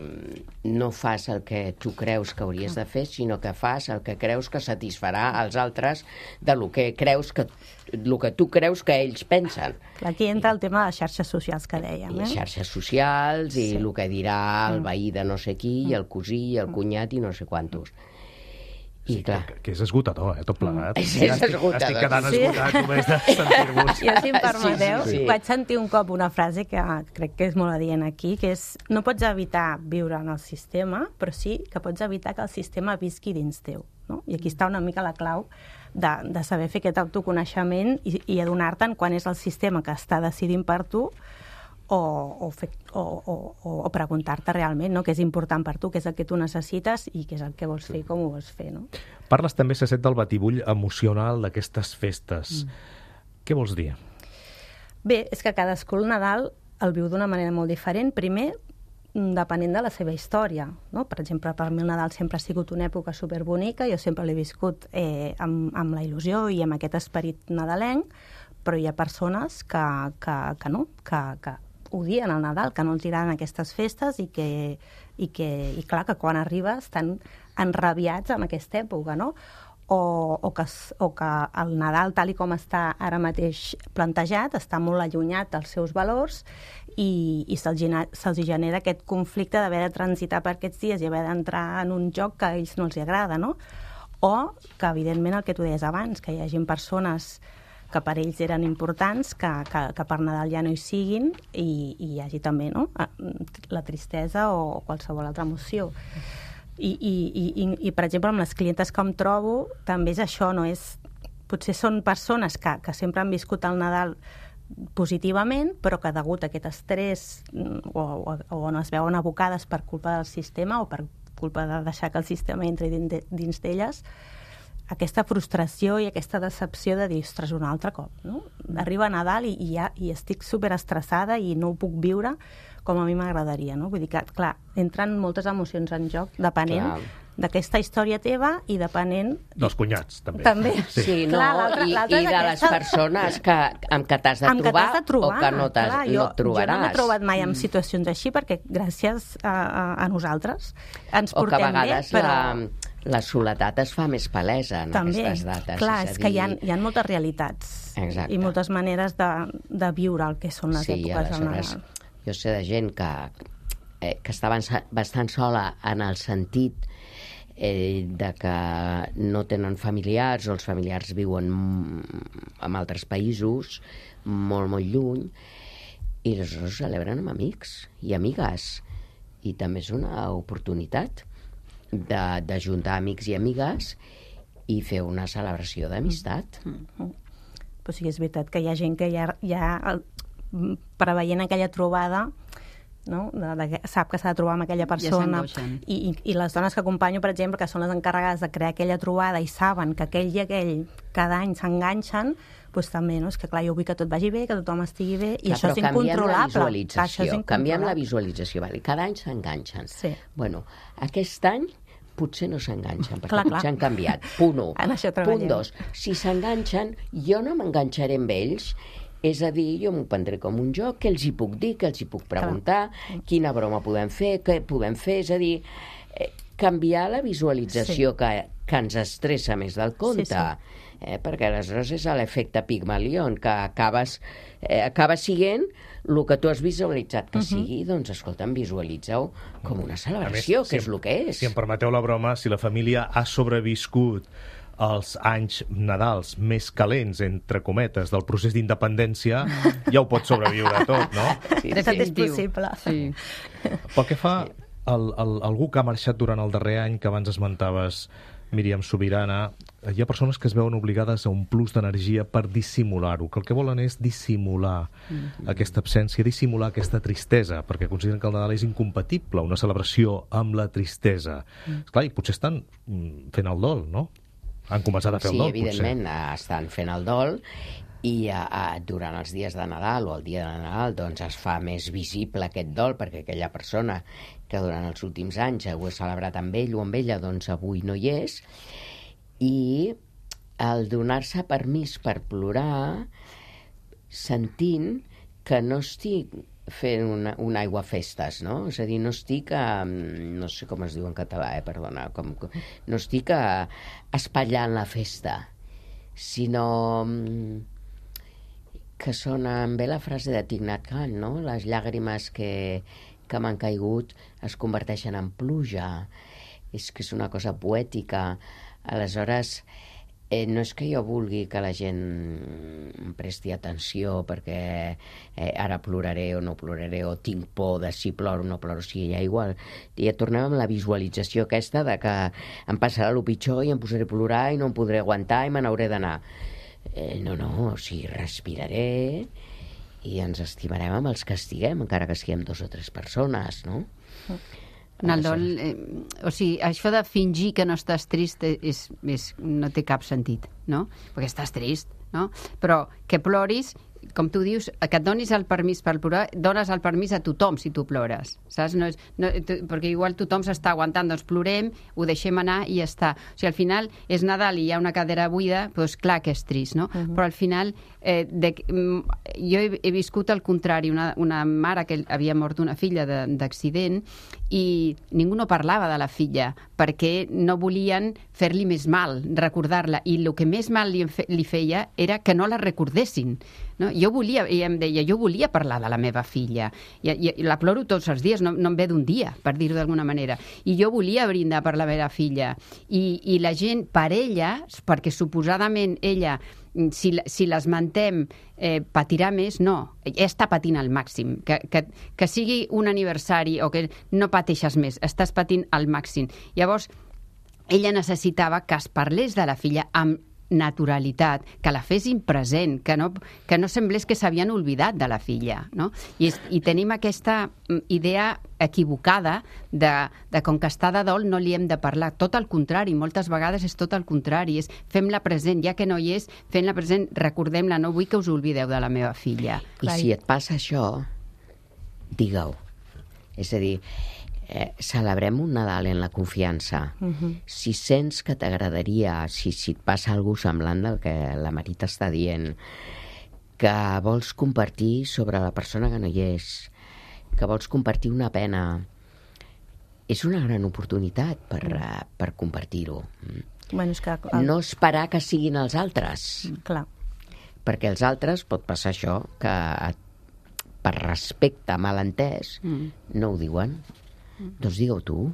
no fas el que tu creus que hauries de fer, sinó que fas el que creus que satisfarà als altres de lo que creus que, lo que tu creus que ells pensen. Aquí entra el tema de les xarxes socials que dèiem. Eh? I xarxes socials i sí. El que dirà el veí de no sé qui, i el cosí, i el cunyat i no sé quantos. I, clar. Que, que és esgotador, eh, tot plegat. És, és esgotador. Estic quedant sí. esgotat només de sentir-vos. Jo, si em permeteu, sí, sí, sí. vaig sentir un cop una frase que crec que és molt adient aquí, que és, no pots evitar viure en el sistema, però sí que pots evitar que el sistema visqui dins teu. No? I aquí està una mica la clau de, de saber fer aquest autoconeixement i, i adonar-te'n quan és el sistema que està decidint per tu, o, o, fer, o, o, o preguntar-te realment, no? Què és important per tu, què és el que tu necessites i què és el que vols fer i com ho vols fer. No? Parles també, Cecet, del batibull emocional d'aquestes festes. Mm. Què vols dir? Bé, és que cadascú el Nadal el viu d'una manera molt diferent. Primer, depenent de la seva història. No? Per exemple, per mi el Nadal sempre ha sigut una època superbonica, jo sempre l'he viscut eh, amb, amb la il·lusió i amb aquest esperit nadalenc, però hi ha persones que, que, que no, que, que odien el Nadal, que no els agraden aquestes festes i que, i que i clar, que quan arriba estan enrabiats amb aquesta època, no? O, o, que, o que el Nadal, tal i com està ara mateix plantejat, està molt allunyat dels seus valors i, i se'ls se genera aquest conflicte d'haver de transitar per aquests dies i haver d'entrar en un joc que a ells no els agrada, no? O que, evidentment, el que tu deies abans, que hi hagi persones que per ells eren importants, que, que, que per Nadal ja no hi siguin i, i hi hagi també, no?, la tristesa o qualsevol altra emoció. I, i, i, i per exemple, amb les clientes que em trobo, també és això, no és... Potser són persones que, que sempre han viscut el Nadal positivament, però que degut a aquest estrès o, o, o on es veuen abocades per culpa del sistema o per culpa de deixar que el sistema entri dins d'elles, aquesta frustració i aquesta decepció de dir, ostres, un altre cop, no? Arriba Nadal i, i, ja, i estic superestressada i no ho puc viure com a mi m'agradaria, no? Vull dir que, clar, entren moltes emocions en joc, depenent d'aquesta història teva i depenent... Dels cunyats, també. També. Sí, sí, no, clar, i, i de les persones que, amb què t'has de, de trobar o que no, clar, no jo, et trobaràs. Jo no m'he trobat mai en situacions així perquè gràcies a, a, a nosaltres ens o portem bé, però... la soledat es fa més palesa en També, aquestes dates. clar, és, és és que hi ha, hi ha moltes realitats. Exacte. I moltes maneres de, de viure el que són les sí, èpoques del aleshores, Nadal. jo sé de gent que, eh, que està bastant sola en el sentit eh, de que no tenen familiars o els familiars viuen en altres països molt, molt lluny, i aleshores celebren amb amics i amigues. I també és una oportunitat de, de juntar amics i amigues i fer una celebració d'amistat. Mm-hmm. Però sí que és veritat que hi ha gent que ja, ja el, preveient aquella trobada, no? de, de, sap que s'ha de trobar amb aquella persona, ja i, i, i les dones que acompanyo, per exemple, que són les encarregades de crear aquella trobada i saben que aquell i aquell cada any s'enganxen, doncs també, no? És que clar, jo vull que tot vagi bé, que tothom estigui bé, i clar, això és incontrolable. Canviem la visualització, clar, canviem la visualització, vale? Cada any s'enganxen. Sí. Bueno, aquest any potser no s'enganxen, perquè clar, potser clar. han canviat. Punt u. En això treballem. Punt dos. Si s'enganxen, jo no m'enganxaré amb ells, és a dir, jo m'ho prendré com un joc, què els hi puc dir, què els hi puc preguntar, clar. Quina broma podem fer, què podem fer, és a dir, eh, canviar la visualització sí. que, que ens estressa més del compte. Sí, sí. Eh, perquè aleshores és l'efecte Pigmalion, que acabes, eh, acaba sent el que tu has visualitzat que uh-huh. sigui, doncs escolta'm, visualitza-ho com una celebració, més, que si és el que és. Si em permeteu la broma, si la família ha sobreviscut els anys Nadals més calents, entre cometes, del procés d'independència, ja ho pot sobreviure tot, no? Sí, de fet és possible. Sí. Pel que fa al, al, algú que ha marxat durant el darrer any, que abans esmentaves, Míriam Subirana, hi ha persones que es veuen obligades a un plus d'energia per dissimular-ho, que el que volen és dissimular mm-hmm. aquesta absència, dissimular aquesta tristesa, perquè consideren que el Nadal és incompatible, una celebració amb la tristesa. Mm. Esclar, i potser estan fent el dol, no? Han començat a fer sí, el dol, potser. Sí, evidentment, estan fent el dol, i a, a, durant els dies de Nadal o el dia de Nadal doncs es fa més visible aquest dol, perquè aquella persona que durant els últims anys ho he celebrat amb ell o amb ella, doncs avui no hi és, i el donar-se permís per plorar sentint que no estic fent una, una aigua festes, no? És a dir, no estic, a, no sé com es diu en català, eh, perdona, com, no estic a, espatllant la festa, sinó que sona bé la frase de Thich Nhat Hanh, no? Les llàgrimes que, que m'han caigut es converteixen en pluja. És que és una cosa poètica. Aleshores, eh, no és que jo vulgui que la gent em presti atenció perquè eh, ara ploraré o no ploraré, o tinc por de si ploro o no ploro, si ja igual. Ja tornem amb la visualització aquesta de que em passarà el pitjor i em posaré a plorar i no em podré aguantar i me n'hauré d'anar. Eh, no, no, o sigui, respiraré i ens estimarem amb els que estiguem, encara que siguem dos o tres persones, no? En el dol, eh, o sigui, això de fingir que no estàs trist és, és, no té cap sentit, no? Perquè estàs trist, no? Però que ploris, com tu dius, que et donis el permís per plorar, dones el permís a tothom si tu plores, saps? No és, no, tu, perquè igual tothom s'està aguantant, doncs plorem, ho deixem anar i ja està. O sigui, al final és Nadal i hi ha una cadira buida, doncs clar que és trist, no? Uh-huh. Però al final, eh, de, jo he, he viscut al contrari, una, una mare que havia mort una filla d'accident i ningú no parlava de la filla perquè no volien fer-li més mal, recordar-la, i el que més mal li, li feia era que no la recordessin, no? Jo volia, i em deia, jo volia parlar de la meva filla, i, i, i la ploro tots els dies, no, no em ve d'un dia, per dir-ho d'alguna manera, i jo volia brindar per la meva filla, i, i la gent, per ella, perquè suposadament ella, si, si l'esmentem, eh, patirà més, no, ella està patint al màxim, que, que, que sigui un aniversari o que no pateixes més, estàs patint al màxim. Llavors, ella necessitava que es parlés de la filla amb naturalitat, que la fessin present, que no, que no semblés que s'havien oblidat de la filla, no? I, és, i tenim aquesta idea equivocada de, de com que està de dol no li hem de parlar. Tot el contrari, moltes vegades és tot el contrari, és fem-la present, ja que no hi és, fem-la present, recordem-la, no vull que us oblideu de la meva filla. I si et passa això, digue-ho. És a dir, Eh, celebrem un Nadal en la confiança. Uh-huh. Si sents que t'agradaria, si, si et passa alguna cosa semblant del que la Marita està dient, que vols compartir sobre la persona que no hi és, que vols compartir una pena, és una gran oportunitat per, uh, per compartir-ho. Bueno, és que... El... No esperar que siguin els altres. Clar. Perquè els altres pot passar això, que per respecte malentès mm. no ho diuen. Mm. Doncs digue-ho tu.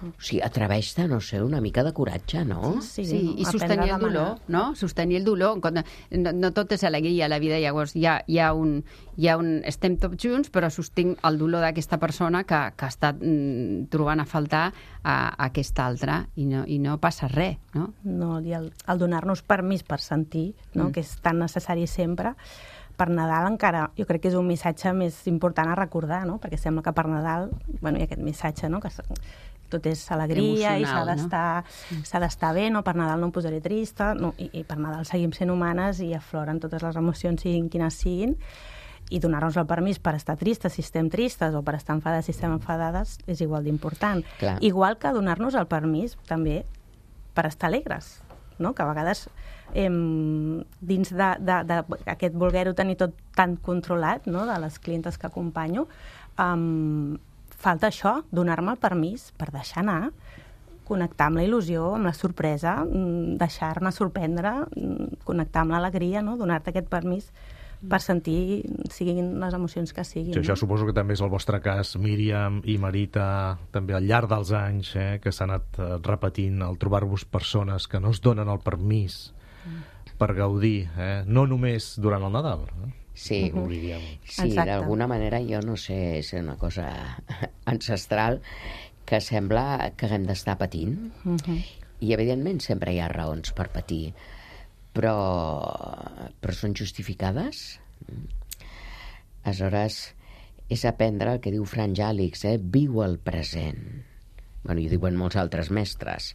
O sigui, atreveix-te, no sé, una mica de coratge, no? Sí, sí, i sostenir el dolor, no? Sostenir el dolor. No, no tot és alegria a la vida, llavors hi ha, hi ha, un, hi ha un... Estem tots junts, però sostinc el dolor d'aquesta persona que, que està mm, trobant a faltar a, a aquesta altra i no, i no passa res, no? No, i el, el donar-nos permís per sentir, no? Mm. Que és tan necessari sempre. Per Nadal encara, jo crec que és un missatge més important a recordar, no? Perquè sembla que per Nadal, bueno, hi ha aquest missatge, no? Que tot és alegria emocional, i s'ha d'estar no? s'ha d'estar bé, no? Per Nadal no em posaré trista, no? I, i per Nadal seguim sent humanes i afloren totes les emocions, siguin quines siguin, i donar-nos el permís per estar tristes si estem tristes o per estar enfadades si estem enfadades és igual d'important. Clar. Igual que donar-nos el permís també per estar alegres, no? Que a vegades eh, dins d'aquest voler-ho tenir tot tan controlat, no? De les clientes que acompanyo, eh, falta això, donar-me el permís per deixar anar, connectar amb la il·lusió, amb la sorpresa, deixar-me sorprendre, connectar amb l'alegria, no? Donar-te aquest permís per sentir, siguin les emocions que siguin. Sí, això no? suposo que també és el vostre cas, Míriam i Marita, també al llarg dels anys, eh, que s'ha anat eh, repetint el trobar-vos persones que no es donen el permís mm. per gaudir, eh? No només durant el Nadal, eh? Sí, uh -huh. sí, d'alguna manera, jo no sé, és una cosa ancestral que sembla que haguem d'estar patint. Uh -huh. I, evidentment, sempre hi ha raons per patir, però, però són justificades. Aleshores, és aprendre el que diu Frank Jalix, eh? Viu el present. Bueno, i ho diuen molts altres mestres.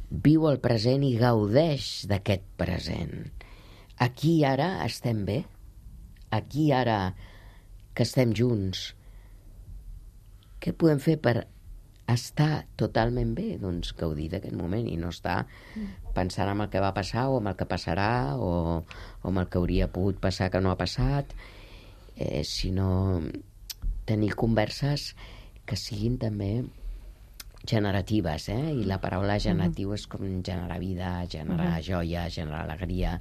Viu el present i gaudeix d'aquest present. Aquí i ara estem bé. Aquí ara que estem junts, què podem fer per estar totalment bé? Doncs gaudir d'aquest moment i no estar pensant en el que va passar o en el que passarà o, o en el que hauria pogut passar que no ha passat, eh, sinó tenir converses que siguin també generatives, eh? I la paraula generatiu és com generar vida, generar joia, generar alegria,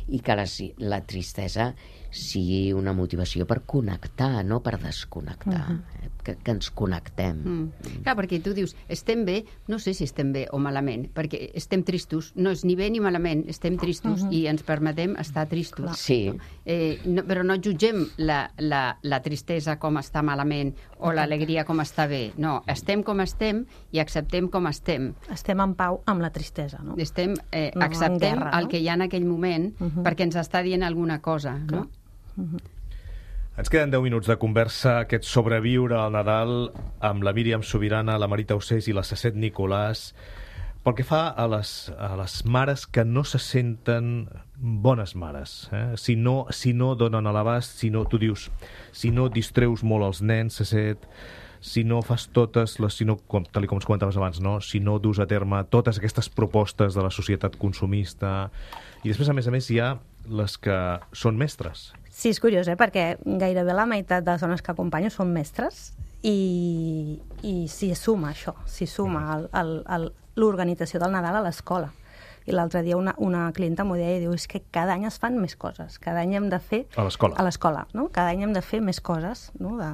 i que la, la tristesa sigui una motivació per connectar, no per desconnectar, uh-huh. eh? que, que ens connectem. Mm. Clar, perquè tu dius, estem bé, no sé si estem bé o malament, perquè estem tristos, no és ni bé ni malament, estem tristos uh-huh. i ens permetem estar tristos. Sí. Eh, no, però no jutgem la, la, la tristesa com està malament o l'alegria com està bé. No, estem com estem i acceptem com estem. Estem en pau amb la tristesa, no? Estem, eh, no, acceptem guerra, no? El que hi ha en aquell moment uh-huh. perquè ens està dient alguna cosa, no? Uh-huh. Ens queden deu minuts de conversa, aquest sobreviure al Nadal amb la Míriam Subirana, la Marita Ossés i la Sesset Nicolàs, pel que fa a les, a les mares que no se senten bones mares, eh? si, no, si no donen a l'abast, si no, tu dius, si no distreus molt els nens, Sesset, si no fas totes les, si no, com, tal com ens comentaves abans, no? Si no dus a terme totes aquestes propostes de la societat consumista, i després, a més a més, hi ha les que són mestres. Sí, és curiós, eh? Perquè gairebé la meitat de les dones que acompanyo són mestres i, i s'hi suma això, s'hi suma l'organització del Nadal a l'escola. I l'altre dia una, una clienta m'ho deia i diu, és que cada any es fan més coses, cada any hem de fer... A l'escola. A l'escola, no? Cada any hem de fer més coses, no? De,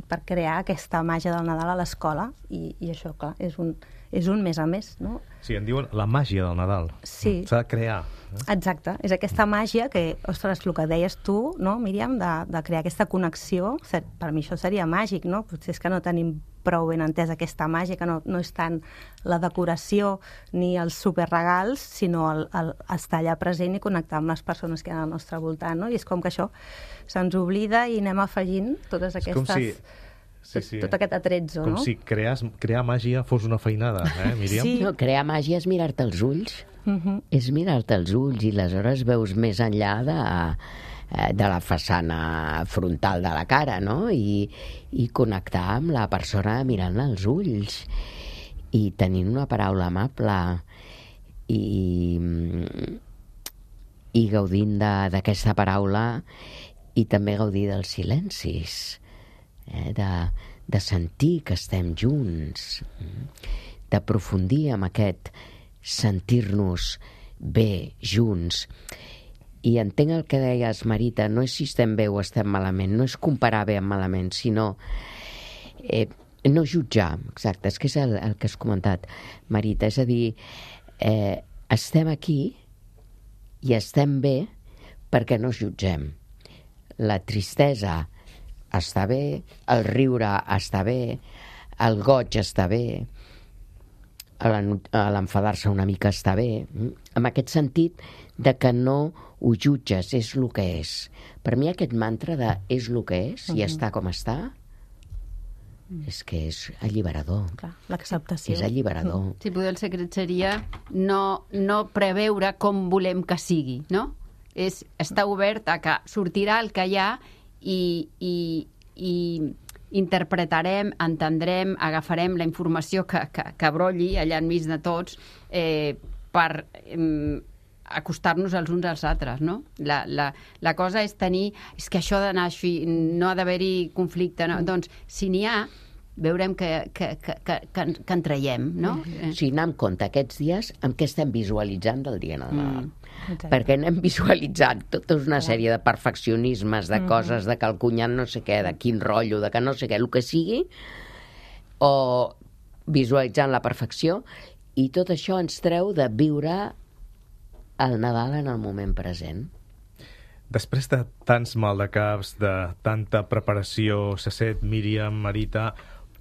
per crear aquesta màgia del Nadal a l'escola i, i això, clar, és un, és un mes a més, no? Sí, en diuen la màgia del Nadal. Sí. S'ha de crear. Eh? Exacte, és aquesta màgia que, ostres, el que deies tu, no, Míriam, de, de crear aquesta connexió, per mi això seria màgic, no? Potser és que no tenim prou ben entès aquesta màgia, que no, no és tant la decoració ni els superregals, sinó el, el estar allà present i connectar amb les persones que hi ha al nostre voltant, no? I és com que això se'ns oblida i anem afegint totes aquestes... És com si... Sí, sí. Tot, tot aquest atrezzo, com no? Com si crear, crear màgia fos una feinada, eh, Míriam? Sí. No, crear màgia és mirar-te els ulls. Uh-huh. És mirar-te els ulls i aleshores veus més enllà de, de la façana frontal de la cara, no? I, i connectar amb la persona mirant als ulls i tenint una paraula amable i, i gaudint d'aquesta paraula i també gaudir dels silencis. Eh, de, de sentir que estem junts, d'aprofundir en aquest sentir-nos bé, junts. I entenc el que deies, Marita, no és si estem bé o estem malament, no és comparar bé amb malament, sinó eh, no jutjar, exacte, és que és el, el que has comentat, Marita, és a dir, eh, estem aquí i estem bé perquè no jutgem. La tristesa està bé, el riure està bé, el goig està bé, l'enfadar-se una mica està bé, en aquest sentit de que no ho jutges, és el que és. Per mi aquest mantra de és el que és i està com està, és que és alliberador. Clar, l'acceptació. És alliberador. Sí, potser el secret seria no, no preveure com volem que sigui, no? És estar obert a que sortirà el que hi ha i, i, i interpretarem, entendrem, agafarem la informació que, que, que brolli allà enmig de tots eh, per eh, acostar-nos els uns als altres, no? La, la, la cosa és tenir... És que això ha d'anar així, no ha d'haver-hi conflicte, no? Mm. Doncs, si n'hi ha, veurem que, que, que, que, que en traiem, no? Mm. O sigui, anar amb compte aquests dies amb què estem visualitzant del dia de Nadal. Mm. Perquè anem visualitzant tota una sèrie de perfeccionismes, de coses, de que el cunyat no sé què, de quin rotllo, de que no sé què, el que sigui, o visualitzant la perfecció, i tot això ens treu de viure el Nadal en el moment present. Després de tants maldecaps, de tanta preparació, Sasset, Míriam, Marita,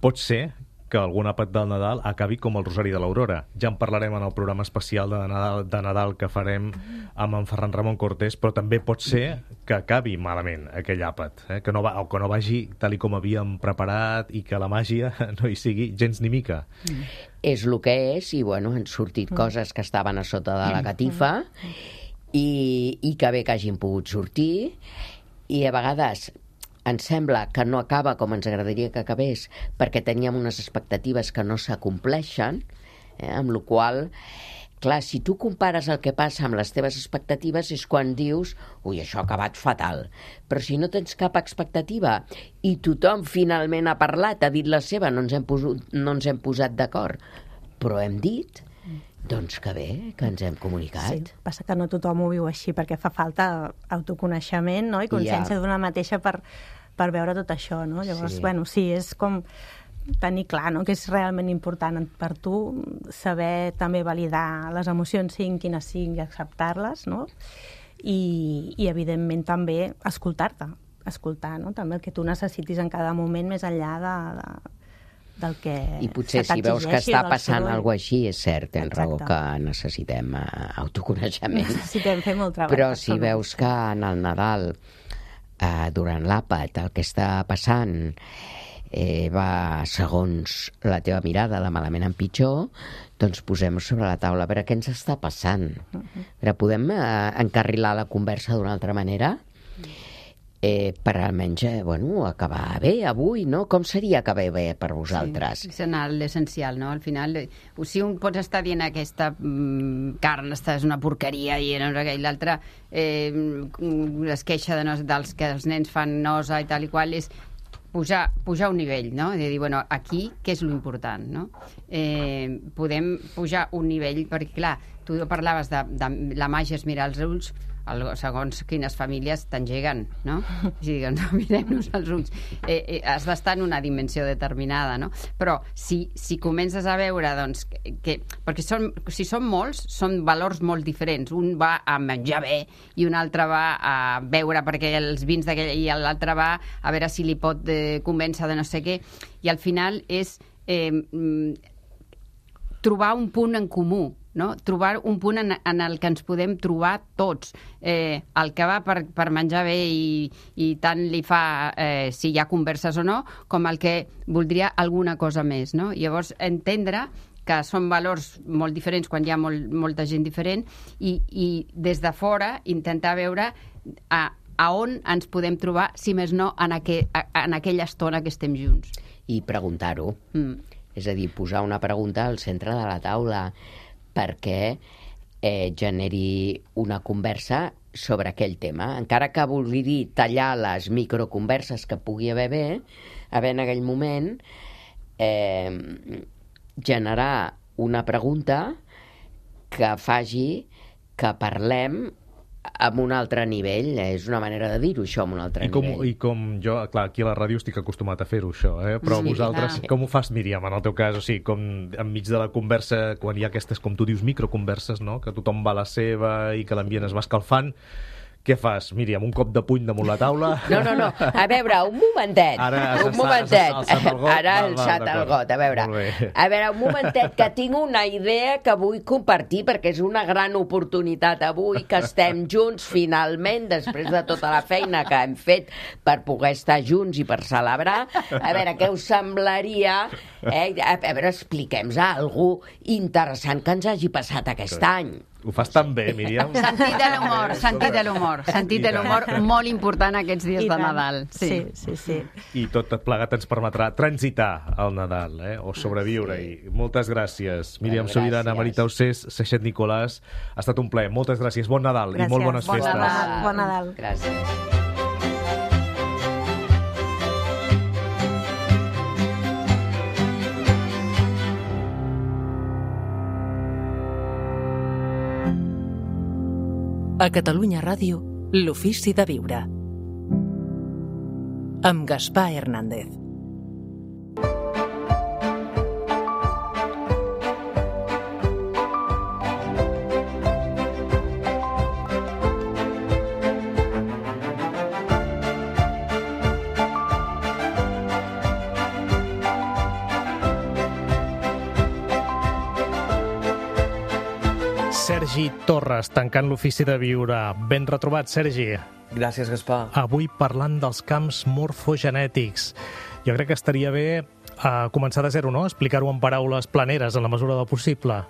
pot ser que algun àpat del Nadal acabi com el Rosari de l'Aurora. Ja en parlarem en el programa especial de Nadal, de Nadal que farem amb en Ferran Ramon Cortés, però també pot ser que acabi malament aquell àpat, eh? que, no va, o que no vagi tal i com havíem preparat i que la màgia no hi sigui gens ni mica. Mm. És el que és, i bueno, han sortit mm. coses que estaven a sota de la catifa mm. i, i que bé que hagin pogut sortir, i a vegades ens sembla que no acaba com ens agradaria que acabés perquè teníem unes expectatives que no s'acompleixen, eh, amb la qual clar, si tu compares el que passa amb les teves expectatives és quan dius, ui, això ha acabat fatal. Però si no tens cap expectativa i tothom finalment ha parlat, ha dit la seva, no ens hem, posut, no ens hem posat d'acord, però hem dit, doncs que bé, que ens hem comunicat. Sí, passa que no tothom ho viu així perquè fa falta autoconeixement, no? I consciència ja. d'una mateixa per, per veure tot això, no? Llavors, sí. bueno, sí, és com tenir clar, no?, que és realment important per tu saber també validar les emocions, siguin quines siguin, i acceptar-les, no? I, i evidentment també escoltar-te, escoltar, no?, també el que tu necessitis en cada moment més enllà de, de, del que I potser si veus que està passant alguna cosa així, és cert, tens raó que necessitem uh, autoconeixement. Necessitem fer molt treball. Però si veus que en el Nadal, uh, durant l'àpat, el que està passant eh, va segons la teva mirada de malament en pitjor, doncs posem sobre la taula a veure què ens està passant. Uh-huh. Però podem uh, encarrilar la conversa d'una altra manera? Eh, per almenys, eh, bueno, acabar bé avui, no? Com seria acabar bé per vosaltres? Sí, és anar l'essencial, no? Al final, si un pots estar dient aquesta mm, carn esta és una porqueria i no sé què, i l'altre eh, es queixa de no, dels que els nens fan nosa i tal i qual, és pujar, pujar un nivell, no? De dir, bueno, aquí què és l'important, no? Eh, podem pujar un nivell, perquè clar, tu parlaves de, de la màgia és mirar els ulls, el, segons quines famílies t'engeguen, no? O sigui, doncs, mirem-nos als ulls. Eh, eh, has d'estar en una dimensió determinada, no? Però si, si comences a veure, doncs, que, perquè són, si són molts, són valors molt diferents. Un va a menjar bé i un altre va a beure perquè els vins d'aquell, i l'altre va a veure si li pot eh, convèncer de no sé què. I al final és eh, trobar un punt en comú, no? Trobar un punt en, en el que ens podem trobar tots. Eh, el que va per, per menjar bé i, i tant li fa eh, si hi ha converses o no, com el que voldria alguna cosa més, no? Llavors, entendre que són valors molt diferents quan hi ha molt, molta gent diferent i, i des de fora intentar veure a, a on ens podem trobar, si més no, en, aqu en aquella estona que estem junts. I preguntar-ho. Mm. És a dir, posar una pregunta al centre de la taula perquè eh, generi una conversa sobre aquell tema. Encara que vulgui dir tallar les microconverses que pugui haver bé, haver en aquell moment eh, generar una pregunta que faci que parlem amb un altre nivell. És una manera de dir-ho, això, amb un altre I com, nivell. I com jo, clar, aquí a la ràdio estic acostumat a fer-ho, això, eh? Però Sí, vosaltres, clar. com ho fas, Míriam, en el teu cas? O sigui, com enmig de la conversa, quan hi ha aquestes, com tu dius, microconverses, no?, que tothom va a la seva i que l'ambient es va escalfant, què fas, Míriam? Un cop de puny damunt la taula? No, no, no. A veure, un momentet. Ara has un alçat- momentet. has alçat el got? Ara Val, he val, alçat el d'acord. got. A veure, Molt bé. a veure, un momentet, que tinc una idea que vull compartir, perquè és una gran oportunitat avui que estem junts, finalment, després de tota la feina que hem fet per poder estar junts i per celebrar. A veure, què us semblaria? Eh? A veure, expliquem-nos alguna cosa interessant que ens hagi passat aquest any. Ho fas tan bé, Míriam. Sentit de l'humor, sentit de l'humor. Sentit de l'humor molt important aquests dies I de tant. Nadal. Sí, sí, sí. I tot plegat ens permetrà transitar el Nadal, eh? O sobreviure-hi. Moltes gràcies, Míriam Gràcies. Sobirana, Marita Ossés, Seixet Nicolàs. Ha estat un plaer. Moltes gràcies. Bon Nadal Gràcies. i molt bones Bon festes. Nadal. Bon Nadal. Gràcies. A Catalunya Ràdio, l'ofici de viure. Amb Gaspar Hernández. Sergi Torres, tancant l'ofici de viure. Ben retrobat, Sergi. Gràcies, Gaspar. Avui parlant dels camps morfogenètics. Jo crec que estaria bé eh, començar de zero, no? Explicar-ho en paraules planeres, en la mesura del possible.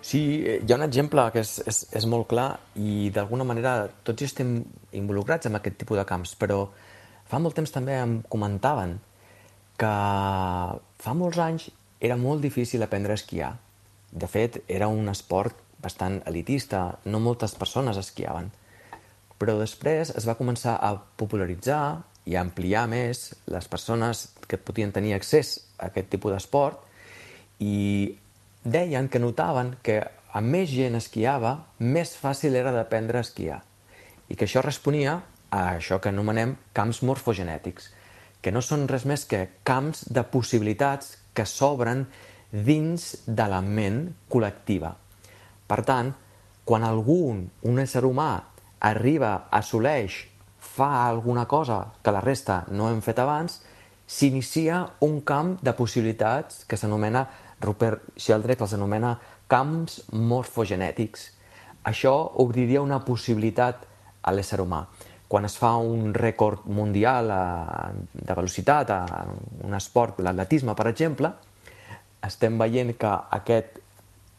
Sí, hi ha un exemple que és, és, és molt clar i d'alguna manera tots hi estem involucrats en aquest tipus de camps, però fa molt temps també em comentaven que fa molts anys era molt difícil aprendre a esquiar. De fet, era un esport bastant elitista, no moltes persones esquiaven. Però després es va començar a popularitzar i a ampliar més les persones que podien tenir accés a aquest tipus d'esport i deien que notaven que a més gent esquiava, més fàcil era d'aprendre a esquiar. I que això responia a això que anomenem camps morfogenètics, que no són res més que camps de possibilitats que s'obren dins de la ment col·lectiva. Per tant, quan algun, un ésser humà, arriba, assoleix, fa alguna cosa que la resta no hem fet abans, s'inicia un camp de possibilitats que s'anomena, Rupert Sheldrake els anomena camps morfogenètics. Això obriria una possibilitat a l'ésser humà. Quan es fa un rècord mundial de velocitat, a un esport, l'atletisme, per exemple, estem veient que aquest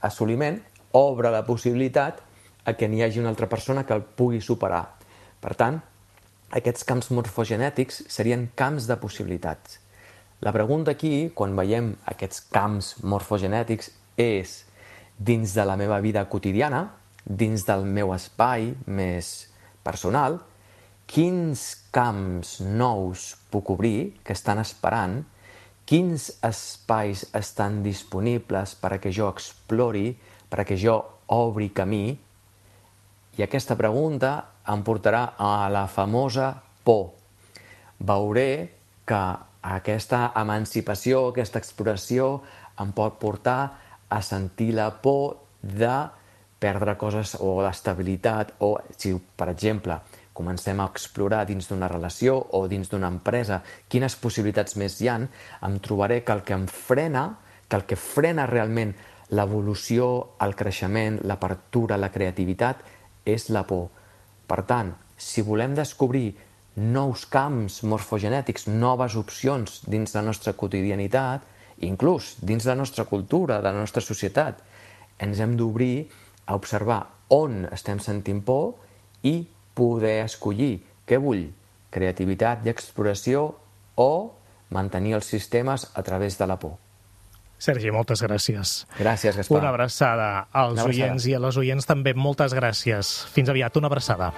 assoliment obre la possibilitat a que n'hi hagi una altra persona que el pugui superar. Per tant, aquests camps morfogenètics serien camps de possibilitats. La pregunta aquí, quan veiem aquests camps morfogenètics, és dins de la meva vida quotidiana, dins del meu espai més personal, quins camps nous puc obrir que estan esperant, quins espais estan disponibles perquè jo explori, perquè jo obri camí, i aquesta pregunta em portarà a la famosa por. Veuré que aquesta emancipació, aquesta exploració em pot portar a sentir la por de perdre coses o l'estabilitat, o si, per exemple, comencem a explorar dins d'una relació o dins d'una empresa quines possibilitats més hi ha, em trobaré que el que em frena, que el que frena realment l'evolució, el creixement, l'apertura, la creativitat, és la por. Per tant, si volem descobrir nous camps morfogenètics, noves opcions dins la nostra quotidianitat, inclús dins la nostra cultura, de la nostra societat, ens hem d'obrir a observar on estem sentint por i poder escollir què vull, creativitat i exploració o mantenir els sistemes a través de la por. Sergi, moltes gràcies. Gràcies, Gaspar. Una abraçada als Una abraçada. oients i a les oients també. Moltes gràcies. Fins aviat, una abraçada.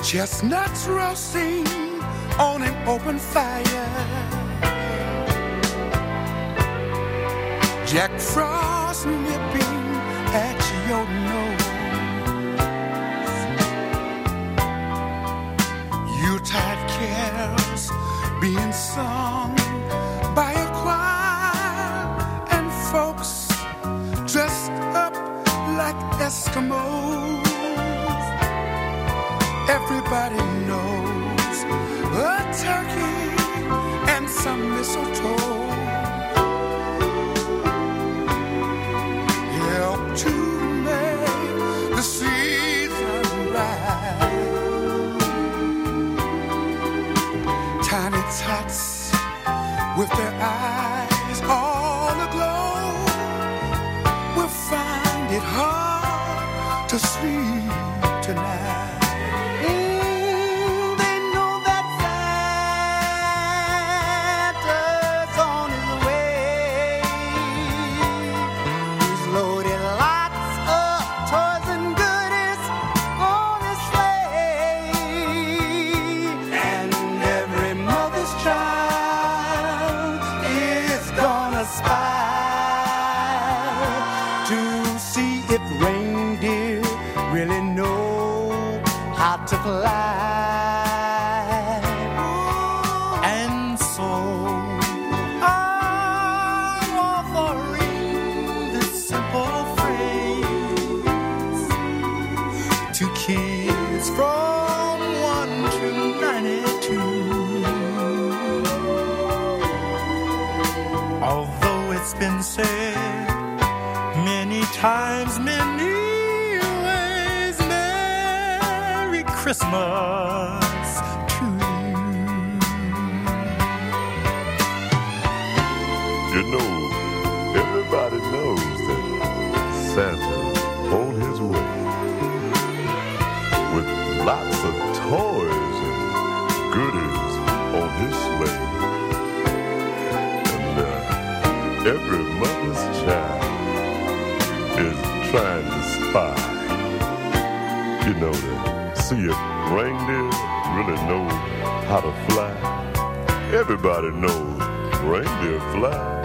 Chestnuts roasting on an open fire. Jack Frost nipping at your nose. Yuletide carols being sung by a choir, and folks dressed up like Eskimos. Everybody knows a turkey and some mistletoe help to make the season bright. Tiny tots with their eyes all aglow will find it hard to sleep tonight. To fly, and so I'm offering this simple phrase to kids from one to ninety-two. Although it's been said many times, many Christmas to you. You know, everybody knows that Santa's on his way with lots of toys and goodies on his sleigh. And uh, every mother's child is trying to spy, you know, that see if reindeer really know how to fly. Everybody knows reindeer fly.